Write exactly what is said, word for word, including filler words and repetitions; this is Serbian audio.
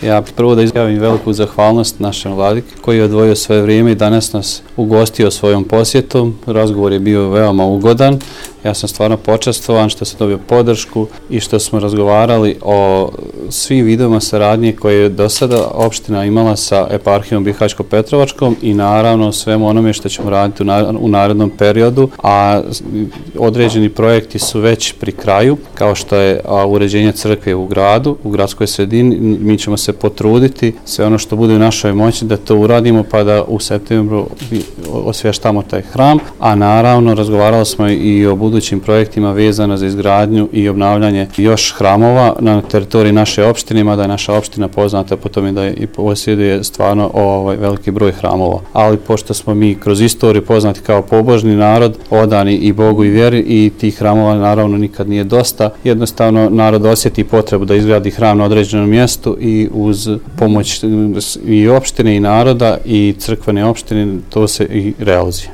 Ja prvo da izjavim veliku zahvalnost našem vladiki koji je odvojio svoje vrijeme i danas nas ugostio svojom posjetom. Razgovor je bio veoma ugodan. Ja sam stvarno počastvovan što sam dobio podršku i što smo razgovarali o svim vidovima saradnje koje je do sada opština imala sa eparhijom Bihaćko-Petrovačkom i naravno svemu onome što ćemo raditi u narednom periodu, a određeni projekti su već pri kraju, kao što je uređenje crkve u gradu, u gradskoj sredini. Mi ćemo se potruditi sve ono što bude u našoj moći da to uradimo pa da u septembru osvještamo taj hram, a naravno razgovarali smo i o budućim projektima vezano za izgradnju i obnavljanje još hramova na teritoriji naše opštine, mada je naša opština poznata po tome da je i posjeduje stvarno ovaj veliki broj hramova. Ali pošto smo mi kroz istoriju poznati kao pobožni narod, odani i Bogu i vjeri, i tih hramova naravno nikad nije dosta, jednostavno narod osjeti potrebu da izgradi hram na određenom mjestu i uz pomoć i opštine i naroda i crkvene opštine to se i realizuje.